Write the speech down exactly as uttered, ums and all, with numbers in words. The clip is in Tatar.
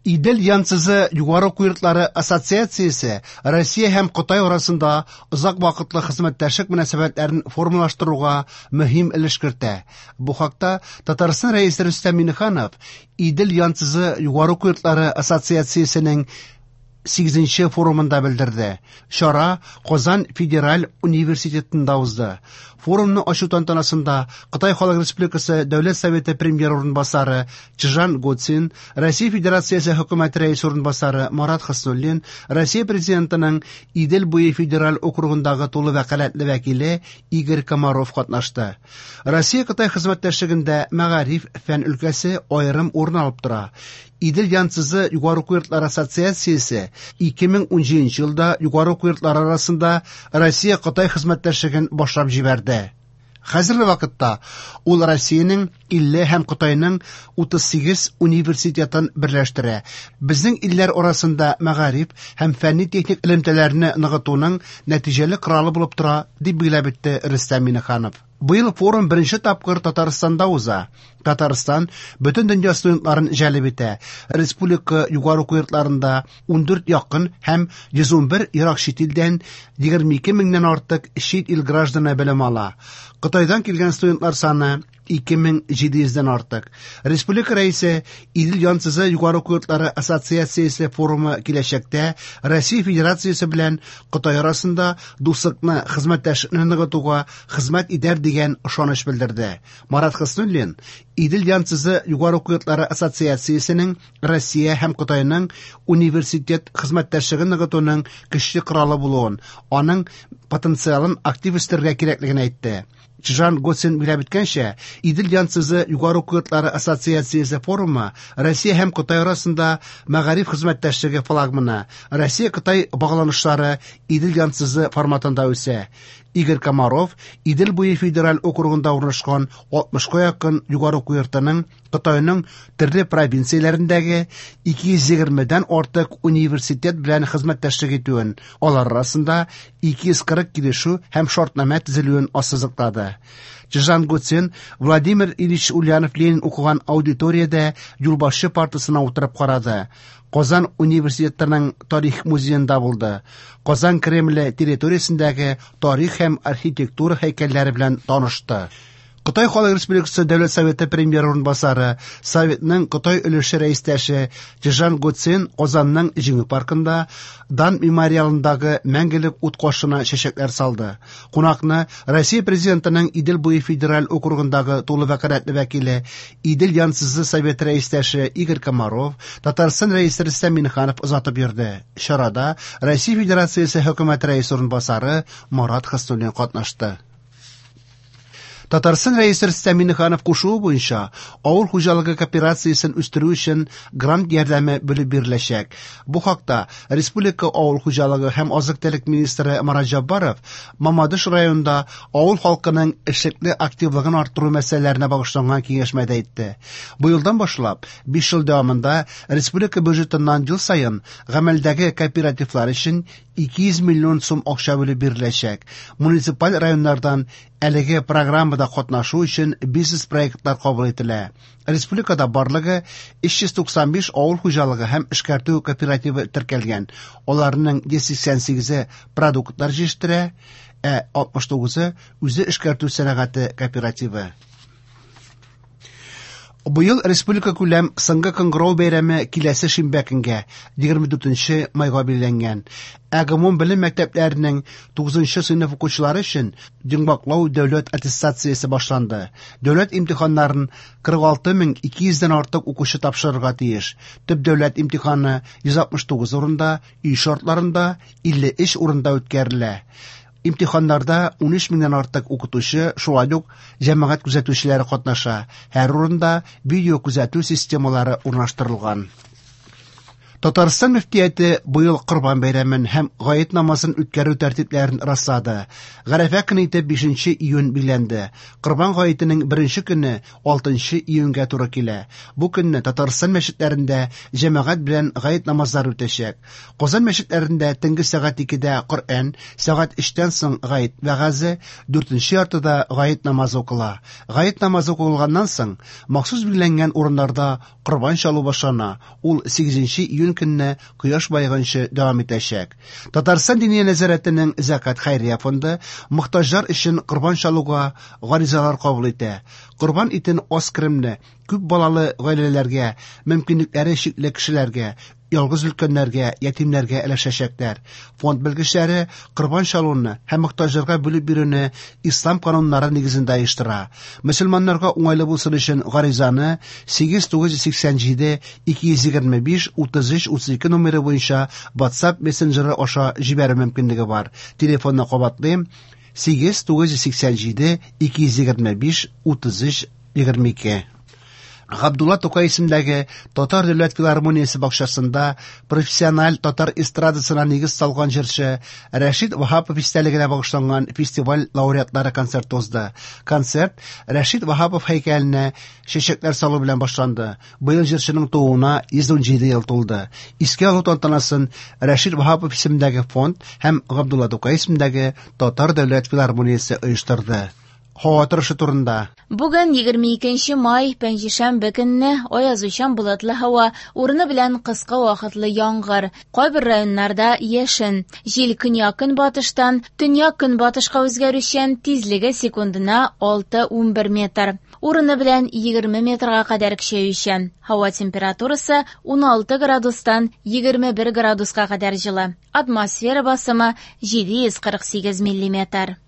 Идел-Янцзы югары уку йортлары ассоциациясе Россия һәм Кытай арасында озак вакытлы хезмәттәшлек мөнәсәбәтләрен формалаштыруга мөһим өлеш кертә. Бу хакта Татарстан Рәисе Рөстәм Миңнеханов Идел-Янцзы югары уку йортлары ассоциациясенең сигезенче форумында белдерде. Чара Казан федераль университетында узды. Форумны ачу тантанасында Кытай Халык Республикасы Дәүләт Советы премьер урынбасары Чжан Гоцин, Россия Федерациясе Хөкүмәте рәисе урынбасары Марат Хөснуллин, Россия Президентының Идел буе федераль округындагы тулы вәкаләтле вәкиле Игорь Комаров катнашты. Россия-Кытай хезмәттәшлегендә мәгариф, фән өлкәсе аерым урын алып тора. Идел-Янцзы югары уку йортлары ассоциациясе ике мең унҗиденче елда югары уку йортлары арасында Россия-Кытай хезмәттәшлеген башлап җибәрде. Хәзерге вакытта ул Россиянең илле һәм Кытайның утыз сигез университетын берләштерә. Безнең илләр арасында мәгариф һәм фәнни-техник элемтәләрне ныгытуның нәтиҗәле коралы булып тора, дип билгеләп үтте Рөстәм Миңнеханов. Быел форум беренче тапкыр Татарстанда уза. Татарстан бөтен дөнья студентларын җәлеп итә. Республика югары уку йортларында ундүрт якын һәм йөз унбер ерак чит илдән егерме ике меңнән артык чит ил гражданы белем ала. Кытайдан килгән студентлар саны ике мең җиде йөздән артык. Республика рәисе Идел-Янцзы югары уку йортлары ассоциациясе форумы киләчәктә Россия Федерациясе белән Кытай арасында дуслыкны, хезмәттәшлекне ныгытуга хезмәт итәр дигән ышаныч белдерде. Марат Хөснуллин Идел-Янцзы югары уку йортлары ассоциациясенең Россия һәм Кытайның университет хезмәттәшлеген ныгытуның көчле коралы булуын, аның потенциалын актив үстерергә кирәклеген әйтте. Чжан Гоцин билгеләп үткәнчә, Идел-Янцзы югары уку йортлары ассоциациясе форумы Россия һәм Кытай арасында мәгариф хезмәттәшлеге флагманы, Россия-Кытай багланышлары Идел-Янцзы форматында үсә. Игорь Комаров Идел буе федераль округында урнашкан алтмышка якын югары уку йортының Кытайның төрле провинцияләрендәге ике йөз егермедән артык университет белән хезмәттәшлек итүен, алар арасында ике йөз кырык килешү һәм шартнамә төзелүен ассызыклады. Чжан Гоцин Владимир Ильич Ульянов Ленин укыган аудиториядә юлбашчы партасына утырып карады. Казан университетының тарих музеенда булды. Казан Кремле территориясендәге тарих һәм архитектура һәйкәлләре белән танышты. Кытай Халык Республикасы Дәүләт Советы премьер урынбасары, Советның Кытай өлеше рәистәше Чжан Гоцин Казанның Җиңү паркында Дан мемориалындагы мәңгелек ут каршына чәчәкләр салды. Кунакны Россия Президентының Идел буе федераль округындагы тулы вәкаләтле вәкиле, Идел Янцзы Совет рәистәше Игорь Комаров, Татарстан Рәисе Рөстәм Миңнеханов озатып йөрде. Чарада Россия Федерациясе Хөкүмәте рәисе урынбасары Марат Хөснуллин катнашты. Татарстан Рәисе Рөстәм Миңнеханов кушуы буенча авыл хуҗалыгы кооперациясен үстерү өчен грант ярдәме бүлеп биреләчәк. Бу хакта Республика авыл хуҗалыгы һәм азык-төлек министры Марат Җаббаров Мамадыш районында авыл халкының эшлекле активлыгын арттыру мәсьәләләренә багышланган киңәшмәдә әйтте. Бу елдан башлап биш ел дәвамында республика бюджетыннан ел саен гамәлдәге кооперативлар өчен ике йөз миллион сум акча бүлеп биреләчәк. Муниципаль районнардан әлеге программада катнашу өчен бизнес-проектлар кабул ителә. Республикада барлыгы өч йөз туксан биш авыл хуҗалыгы һәм эшкәртү кооперативы теркәлгән. Аларның йөз сиксән сигезе продуктлар җитештерә, ә алтмыш тугызы үзе эшкәртү сәнәгате кооперативы. Быел республика күләм соңгы кыңгырау бәйрәме киләсе шимбә көнгә, егерме дүртенче майга билгеләнгән. Ә гомум белем мәктәпләренең тугызынчы сыйныф укучылары өчен йомгаклау дәүләт аттестациясе башланды. Дәүләт имтиханнарын кырык алты мең ике йөздән артык укучы тапшырырга тиеш. Төп дәүләт имтиханы йөз алтмыш тугыз урында, өй шартларында илле өч урында үткәрелә. Имтиханнарда ун өч меңнән артык укытучы, шулай ук җәмәгать күзәтүчеләре катнаша. Һәр урында видео күзәтү системалары урнаштырылган. Татарстан мөфтияте быел Корбан бәйрәмен һәм Гает намазын үткәрү тәртипләрен раслады. Гарәфә көне итеп бишенче июнь билгеләнде. Корбан гаетенең беренче көне алтынчы июньгә туры килә. Бу көнне Татарстан мәчетләрендә җәмәгать белән гает намазлары үтәчәк. Казан мәчетләрендә төнге сәгать икедә Коръән, сәгать өчтән соң гает вәгазе, дүртенче яртыда гает намазы укыла. Гает намазы укылганнан соң махсус билгеләнгән урыннарда корбан чалу башлана. Ул сигезенче июнь көнне кояш байыганчы дәвам итәчәк. Татарстан Диния нәзарәтенең Зәкат хәйрия фонды мохтаҗлар өчен корбан чалуга гаризалар кабул итә. Корбан итен аз керемле, күп балалы гаиләләргә, мөмкинлекләре чикле кешеләргә, ялгыз өлкәннәргә, ятимнәргә өләшәчәкләр. Фонд белгечләре корбан чалуны һәм мохтаҗларга бүлеп бирүне ислам кануннары нигезендә оештыра. Мөселманнарга уңайлы булсын өчен гаризаны сигез тугыз йөз сиксән җиде ике йөз егерме биш утыз өч утыз ике номеры буенча WhatsApp мессенджеры аша җибәрү мөмкинлеге бар. Телефонны кабатлыйм: сигез тугыз йөз сиксән җиде ике йөз егерме биш утыз өч егерме ике. Габдулла Тукай исемендәге Татар дәүләт филармониясе бакчасында профессиональ татар эстрадасына нигез салган җырчы Рәшит Ваһапов истәлегенә багышланган фестиваль лауреатлары концерты узды. Концерт Рәшит Ваһапов һәйкәленә чәчәкләр салу белән башланды. Быел җырчының тууына йөз ун җиде ел тулды. Искә алу тантанасын Рәшит Ваһапов исемендәге фонд һәм Габдулла Тукай исемендәге Татар дәүләт филармониясе оештырды. Һава торышы турында. Бүген егерме икенче май, пәнҗешәмбе көнне аязучан болытлы һава, урыны белән кыска вакытлы яңгыр. Кайбер районнарда яшен. Җил көньяк-көнбатыштан төньяк-көнбатышка үзгәрүчән, тизлеге секундына алты унбер метр. Урыны белән егерме метрга кадәр көчәючән. Һава температурасы ун алты градустан егерме бер градуска кадәр җылы. Атмосфера басымы җиде йөз кырык сигез миллиметр.